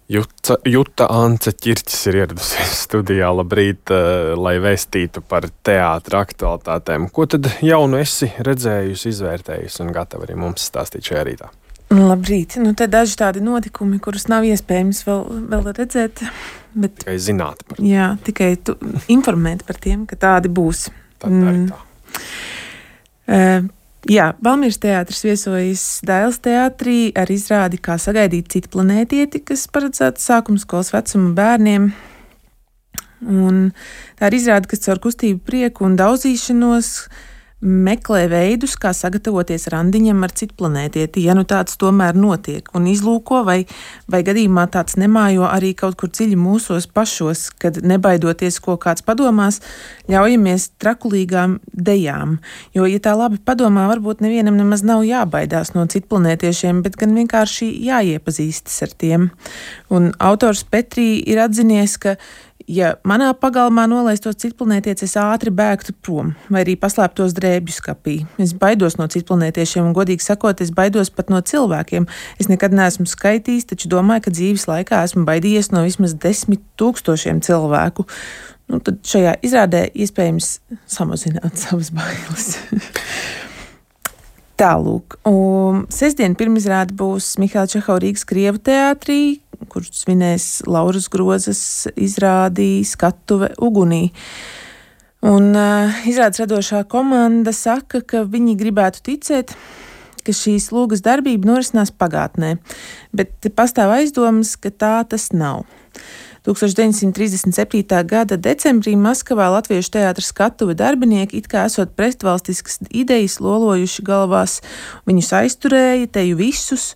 Juta Ance Ķirķis ir ieradusies studijā. Labrīt, lai vēstītu par teātra aktualitātēm. Ko tad jaunu esi redzējusi, izvērtējusi un gatava arī mums stāstīt šajā rītā? Labrīt. Te daži tādi notikumi, kurus nav iespējams vēl redzēt. Bet, tikai zināt par tiem. Jā, tikai informēt par tiem, ka tādi būs. Tad arī tā. Jā, Valmieras teātris viesojas Dailes teātrī ar izrādi Kā sagaidīt citu planētieti, kas paredzēta sākumskolas vecuma bērniem. Un tā ir izrāde, kas caur kustību, prieku un daudzīšanos meklē veidus, kā sagatavoties randiņam ar citu planētieti, ja tāds tomēr notiek, un izlūko vai gadījumā tāds nemājo arī kaut kur dziļi mūsos pašos, kad nebaidoties, ko kāds padomās, ļaujamies trakulīgām dejām. Jo, ja tā labi padomā, varbūt nevienam nemaz nav jābaidās no citu planētiešiem, bet gan vienkārši jāiepazīstas ar tiem. Un autors Petrī ir atzinies, ka ja manā pagalmā nolaistos citplanētietis, es ātri bēgtu prom, vai arī paslēptos drēbju skapī. Es baidos no citplanētiešiem, un godīgi sakot, es baidos pat no cilvēkiem. Es nekad neesmu skaitījis, taču domāju, ka dzīves laikā esmu baidījies no vismaz 10 000 cilvēku. Tad šajā izrādē iespējams samazināt savas bailes. Tālūk. Sestdien pirmizrāde būs Mihaila Čehova Rīgas Krievu teātrī, kurš svinēs Lauras Grozas izrādi Skatuve ugunī. Un izrādes radošā komanda saka, ka viņi gribētu ticēt, ka šīs lūgas darbība norisinās pagātnē, bet pastāv aizdomas, ka tā tas nav. 1937. gada decembrī Maskavā Latviešu teātra Skatuve darbinieki it kā esot pretvalstiskas idejas lolojuši galvās, viņus aizturēja, teju visus,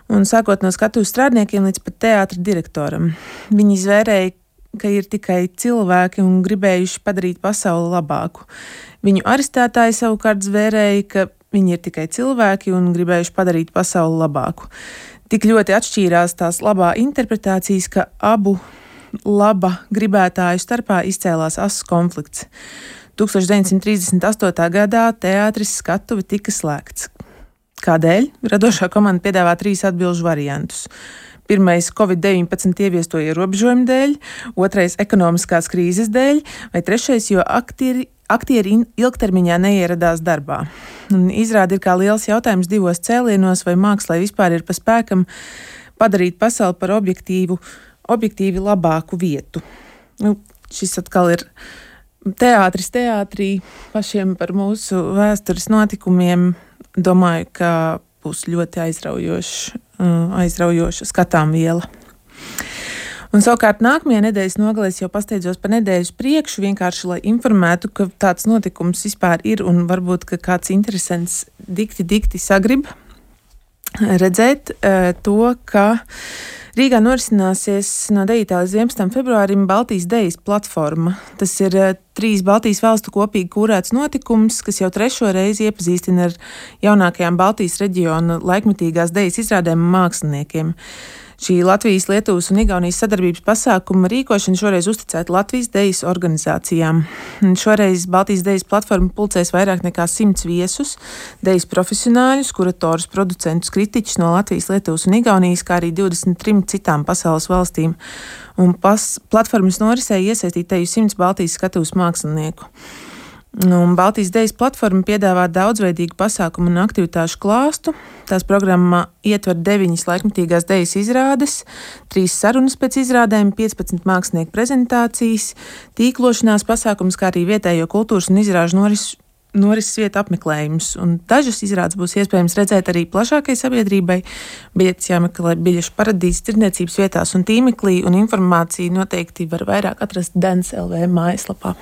un sākot no skatuves strādniekiem līdz pat teātra direktoram. Viņi izvērēja, ka ir tikai cilvēki un gribējuši padarīt pasauli labāku. Viņu arestētāji savukārt zvērēja, ka viņi ir tikai cilvēki un gribējuši padarīt pasauli labāku. Tik ļoti atšķīrās tās labā interpretācijas, ka abu laba gribētāju starpā izcēlās asas konflikts. 1938. gadā teātris Skatuve tika slēgts. Kādēļ? Radošā komanda piedāvā 3 atbilžu variantus. Pirmais - Covid-19 ieviesto ierobežojumu dēļ, otrais - ekonomiskās krīzes dēļ, vai trešais, jo aktieri ilgtermiņā neieradās darbā. Un izrāde ir kā liels jautājums 2 cēlienos, vai mākslai vispār ir pa spēkam padarīt pasauli par objektīvi labāku vietu. Šis atkal ir teātris teātrī, pašiem par mūsu vēstures notikumiem. Domāju, ka būs ļoti aizraujoša skatām viela. Un savukārt nākamajā nedēļas nogalē es jau pasteidzos par nedēļas priekšu, vienkārši lai informētu, ka tāds notikums vispār ir, un varbūt, ka kāds interesants dikti sagrib redzēt to, ka Rīgā norisināsies no 9. līdz 11. februārim Baltijas dejas platforma. Tas ir 3 Baltijas valstu kopīgi kūrēts notikums, kas jau 3. reizi iepazīstina ar jaunākajām Baltijas reģiona laikmetīgās dejas izrādēm un māksliniekiem. Šī Latvijas, Lietuvas un Igaunijas sadarbības pasākuma rīkošana šoreiz uzticēta Latvijas dejas organizācijām. Šoreiz Baltijas dejas platforma pulcēs vairāk nekā 100 viesus, dejas profesionāļus, kuratorus, producentus, kritiķus no Latvijas, Lietuvas un Igaunijas, kā arī 23 citām pasaules valstīm. Un platformas norisē iesaistīt teju 100 Baltijas skatuves mākslinieku. Un Baltijas dejas platforma piedāvā daudzveidīgu pasākumu un aktivitāšu klāstu. Tās programmā ietver 9 laikmetīgās dejas izrādes, 3 sarunas pēc izrādēm, 15 mākslinieku prezentācijas, tīklošanās pasākums, kā arī vietējo kultūras un izrāžu norises vietu apmeklējums. Un dažas izrādes būs iespējams redzēt arī plašākai sabiedrībai, bet jāmeklē biļešu paradīzes tirdzniecības vietās un tīmeklī, un informāciju noteikti var vairāk atrast Dens LV mājaslapā.